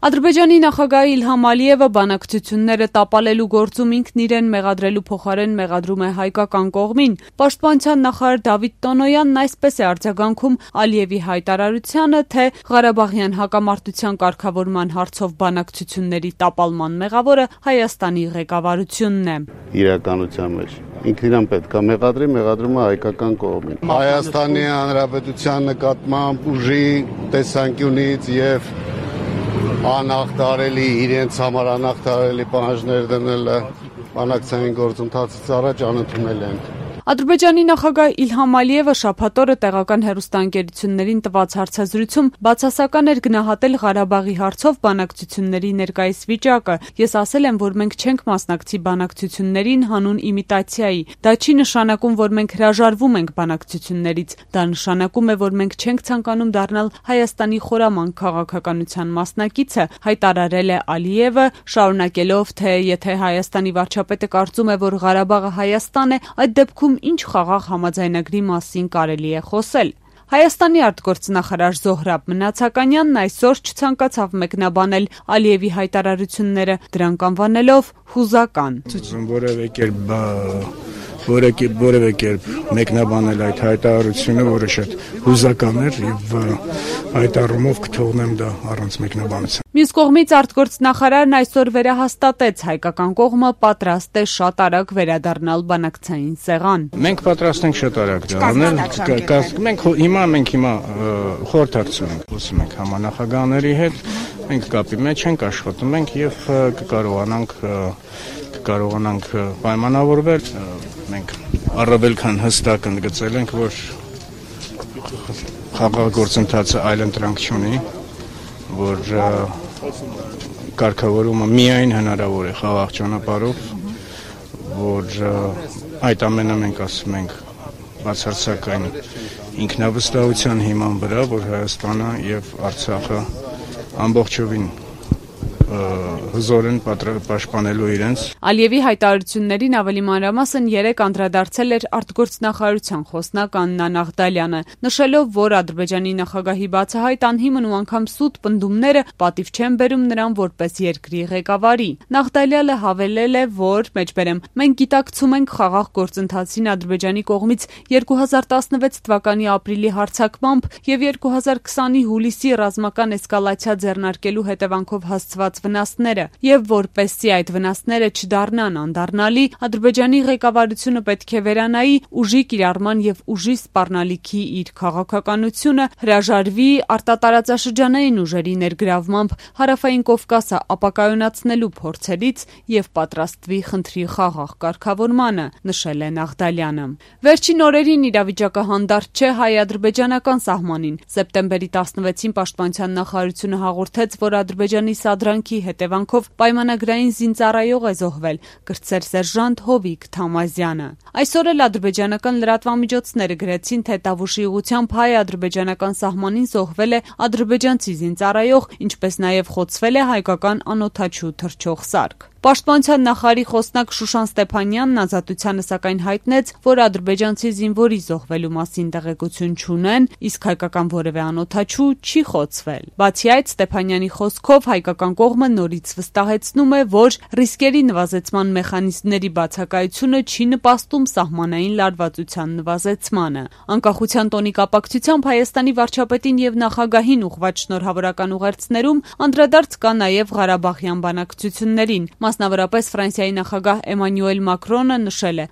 Ադրբեջանի նախագահ Իլհամ Ալիևը բանակցությունները տապալելու գործում ինքն իրեն մեղադրելու փոխարեն մեղադրում է հայկական կողմին։ Պաշտպանության նախարար Դավիթ Տոնոյանն այսպես է արձագանքում Ալիևի հայտարարությանը, թե Ղարաբաղյան հակամարտության կարգավորման հարցով բանակցությունների տապալման մեղավորը Հայաստանի ղեկավարությունն է։ Իրականության մեջ ինքն իրան պետք է մեղադրի, մեղադրում է հայկական կողմին։ Հայաստանի Հանրապետության նկատմամբ ուժի տեսանկյունից եւ անախտարելի իրենց համար անախտարելի պահանջներ դնելը բանակցային գործընթացից առաջ անընդունել են։ Ադրբեջանի նախագահ Իլհամ Ալիևը շաբաթ օրը տեղական հեռուստաընկերություններին տված հարցազրույցում բացասական էր գնահատել Ղարաբաղի հարցով բանակցությունների ներկայիս վիճակը։ Ես ասել եմ, որ մենք չենք մասնակցի բանակցություններին հանուն իմիտացիայի։ Դա չի նշանակում, որ մենք հրաժարվում ենք բանակցություններից։ Դա նշանակում է, որ մենք չենք ցանկանում դառնալ Հայաստանի խորամանկ քաղաքականության մասնակիցը, հայտարարել է Ալիևը, շարունակելով, թե եթե Հայաստանի վարչապետը կարծում է, որ Ղարաբաղը Հայաստան է, այդ դեպքում ինչ խաղաղ համաձայնագրի մասին կարելի է խոսել։ Հայաստանի արտգործնախարար Զոհրաբ Մնացականյանն այսօր չցանկացավ մեկնաբանել Ալիևի հայտարարությունները, դրանք անվանելով հուզական։ Որևէ կերպ մեկնաբանել այդ հայտարարությունը, որը շատ հուզական էր եւ այդ առումով կթողնեմ դա առանց մեկնաբանության։ Մյուս կողմից արտգործնախարարն այսօր վերահաստատեց հայկական կողմը պատրաստ է շատ արագ վերադառնալ բանակցային սեղան։ Մենք պատրաստ ենք շատ արագ դա անել։ Մենք հիմա խորհրդակցում ենք, խոսում ենք համանախագահների հետ, մենք կապի մեջ ենք, աշխատում ենք եւ կկարողանանք պայմանավորվել։ Մենք առավել քան հստակ ընդգծել ենք, որ խաղաղ գործընթացը այլընտրանք չունի, որ կարգավորումը միայն հնարավոր է խաղաղ ճանապարհով, որ այդ ամենը մենք ասում ենք բացարձակային ինքնավստահության հիման վրա, որ Հայաստանը եւ Արցախը ամբողջովին հզոր են պաշտպանելու իրենց։ Ալիևի հայտարարություններին ավելի մանրամասն երեկ անդրադարձել էր արտգործնախարարության խոսնակ Աննա Նաղդալյանը, նշելով, որ Ադրբեջանի նախագահի բացահայտ անհիմն ու անգամ սուտ պնդումները պատիվ չեն բերում նրան որպես երկրի ղեկավարի։ Նաղդալյանը հավելել է, որ մենք գիտակցում ենք խաղաղ գործընթացին Ադրբեջանի կողմից 2016 թվականի ապրիլի հարձակմամբ եւ 2020-ի հուլիսի ռազմական էսկալացիա ձեռնարկելու հետևանքով հասցված վնասները, եւ որպեսզի այդ վնասները չդառնան անդառնալի, Ադրբեջանի ղեկավարությունը պետք է վերանայի ուժի կիրառման եւ ուժի սպառնալիքի իր քաղաքականությունը, հրաժարվի արտատարածաշրջանային ուժերի ներգրավմամբ Հարավային Կովկասը ապակայունացնելու փորձերից եւ պատրաստվի խնդրի խաղաղ կարգավորմանը, նշել է Նաղդալյանը։ Վերջին օրերին իրավիճակը հանդարտ չէ հայ-ադրբեջանական սահմանին։ Սեպտեմբերի 16-ին Պաշտպանության նախարարությունը հաղորդեց, որ Ադրբեջանի սադրանքի հետևանքով պայմանագրային զինծառայող է զոհվել, կրտսեր սերժանտ Հովիկ Թամազյանը։ Այսօր էլ ադրբեջանական լրատվամիջոցները գրեցին, թե Տավուշի ուղղությամբ հայ-ադրբեջանական սահմանին զոհվել է ադրբեջանցի զինծառայող, ինչպես նաև խոցվել է հայկական անօդաչու թռչող սարք։ Պաշտպանության նախարարի խոսնակ Շուշան Ստեփանյանն Ազատությանը սակայն հայտնեց, որ ադրբեջանցի զինվորի զոհվելու մասին տեղեկություն չունեն, իսկ հայկական որևէ անօդաչու չի խոցվել։ Բացի այդ, Ստեփանյանի խոսքով հայկական կողմը նորից վստահեցնում է, որ ռիսկերի նվազեցման մեխանիզմների բացակայությունը չի նպաստում սահմանային լարվածության նվազեցմանը։ Անկախության տոնի կապակցությամբ Հայաստանի վարչապետին եւ նախագահին ուղղված շնորհավորական ուղերձներում անդրադարձ կա նաեւ Ղարաբաղյան բանակցություններին։ Մասնավորապես Ֆրանսիայի նախագահ Էմանուել Մակրոնը նշել է.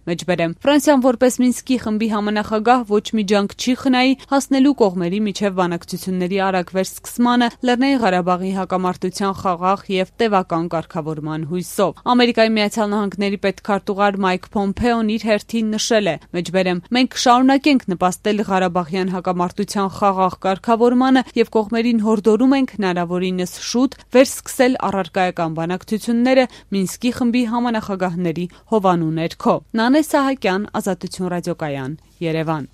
Ֆրանսիան որպես Մինսկի խմբի համանախագահ ոչ մի ջանք չի խնայի հասնելու կողմերի միջև բանակցությունների արագ վերսկսմանը Լեռնային Ղարաբաղի հակամարտության խաղաղ եւ տևական կարգավորման հույսով։ Ամերիկայի Միացյալ Նահանգների պետքարտուղար Մայք Փոմփեոն իր հերթին նշել է. Մենք կշարունակենք նպաստել Ղարաբաղյան հակամարտության խաղաղ կարգավորմանը եւ կողմերին հորդորում ենք հնարավորինս շուտ վերսկսել առարկայական բանակցությունները Մինսկի խմբի համանախագահների հովանու ներքո։ Նանե Սահակյան, Ազատություն ռադիոկայան, Երևան։